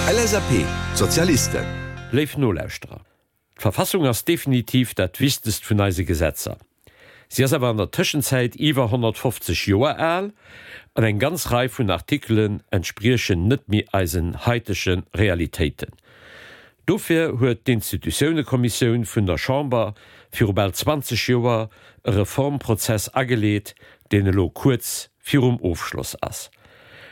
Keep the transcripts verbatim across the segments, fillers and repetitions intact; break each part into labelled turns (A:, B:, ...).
A: L S A P, Sozialisten.
B: Léif Nolauschterer, d'Verfassung ass definitiv dat wichtegst vun eise Gesetzer. Si ass awer an der Tëschenzäit iwwer honnertfofzeg Joer al an eng ganz Rei vun Artikelen entspriechen net méi eisen haitege Realitéiten. Dofir huet d'Institutiounekommissioun vun der Chamber viru bal zwanzeg Joer e Reformprozess ageleet, deen elo kuerz virum Ofschloss ass.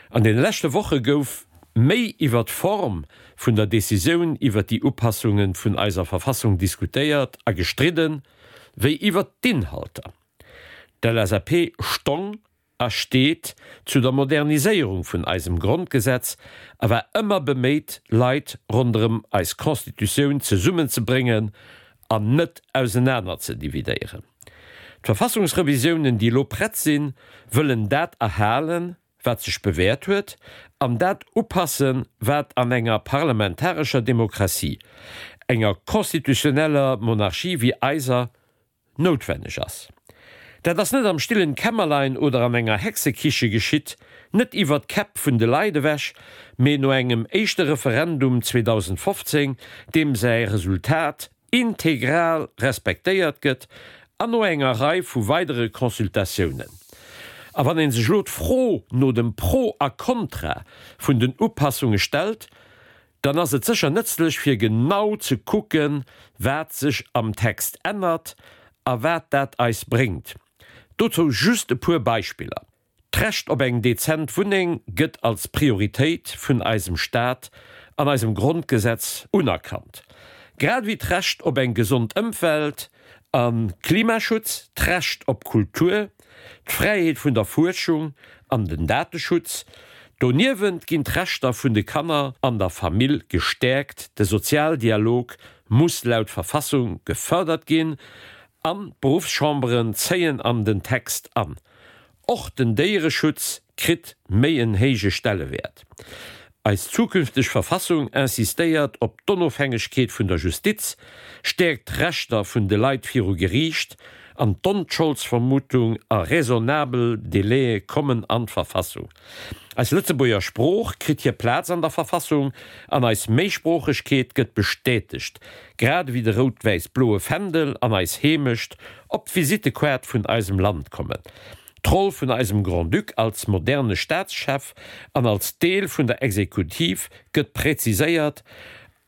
B: An deene leschte Woche gouf méi iwwer d'Form vun der Decisioun iwwer déi Upassunge vun eiser Verfassung diskutéiert a gestridden, wéi iwwer d'Inhalter. D'L S A P stong a steet zu der Moderniséierung vun eisem Grondgesetz a war ëmmer beméit, Leit ronderëm eis Constitutioun zesummenzebréngen an net ausenaner ze dividéieren. D'Verfassungsrevisiounen, déi elo prett sinn, wëllen dat erhalen, wat sech bewäert huet, an dat upassen, wat an enger parlamentarescher Demokratie, enger constitutioneller Monarchie wéi eiser, noutwenneg ass. Dat ass net am stillen Kämmerlein oder an enger Hexekiche geschitt, net iwwer d'Käpp vun de Leit ewech, mee no engem éischte Referendum zweedausendfofzéng, deem säi Resultat integral respektéiert gëtt, an no enger Rei vu weidere Consultatiounen. A wann ee sech elo d'Fro no dem Pro a Kontra vun den Upassunge stellt, dann ass et sécher nëtzlech fir genau ze kucken, wat sech am Text ännert a wat dat eis bréngt. Dozou just e puer Beispiller, D'Recht op eng dezent Wunneng gëtt als Prioritéit vun eisem Staat an eisem Grondgesetz unerkannt, grad ewéi d'Recht op eng gesond Ëmwelt a Klimaschutz, d'Recht op Kultur, d'Fräiheet vun der Fuerschung an den Dateschutz. Doniewent ginn d'Rechter vun de Kanner an der Famill gestäerkt, de Sozialdialog muss laut Verfassung gefërdert ginn an d'Beruffschamberen zéien an den Text an. Och den Déiereschutz kritt méi en héije Stellewäert. Eis zukünfteg Verfassung insistéiert op d'Onofhängegkeet vun der Justiz, stäerkt d'Rechter vun de Leit viru Geriicht an d'Onscholdsvermutung a raisonnabel Délaië kommen an d'Verfassung. Eis Lëtzebuerger Sprooch kritt hir Plaz an der Verfassung an eis Méisproochegkeet gëtt bestätegt, grad ewéi de rout-wäiss-bloe Fändel an eis Heemecht op d'Visitekaart vun eisem Land kommen. D'Roll vun eisem Grand-Duc als moderne Staatschef an als Deel vun der Exekutiv gëtt präziséiert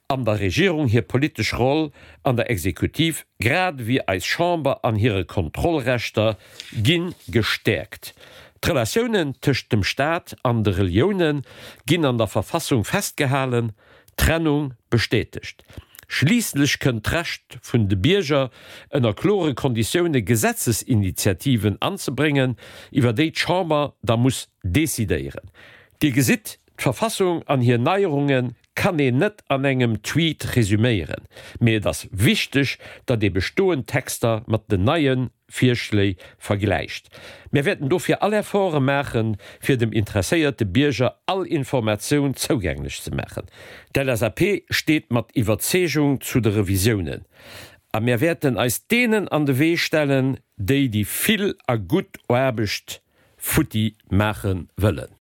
B: an der Regierung hir politesch Roll an der Exekutiv grad ewéi eis Chamber an hire Kontrollrechter gi gestäerkt. D'Relatiounen tëscht dem Staat an de Relioune ginn an der Verfassung festgehalen, d'Trennung bestätegt. Schliisslech kënnt d'Recht vun de Bierger, ënner klore Konditioune Gesetzesinitiativen anzebréngen, iwwer déi d'Chamber da muss decidéieren. Dir gesitt, d'Verfassung an hir Neierunge kann een net an engem Tweet resuméieren, mee et ass wichteg, datt ee bestoend Texter mat den neie Virschléi vergläicht. Mir wäerten dofir all Efforte maachen, fir dem interesséierte Bierger all Informatioun zougänglech ze maachen. D'L S A P steet mat Iwwerzeegung zu de Revisiounen a mir wäerten eis deenen an de Wee stellen, déi déi vill a gutt Aarbecht futti maache wëllen.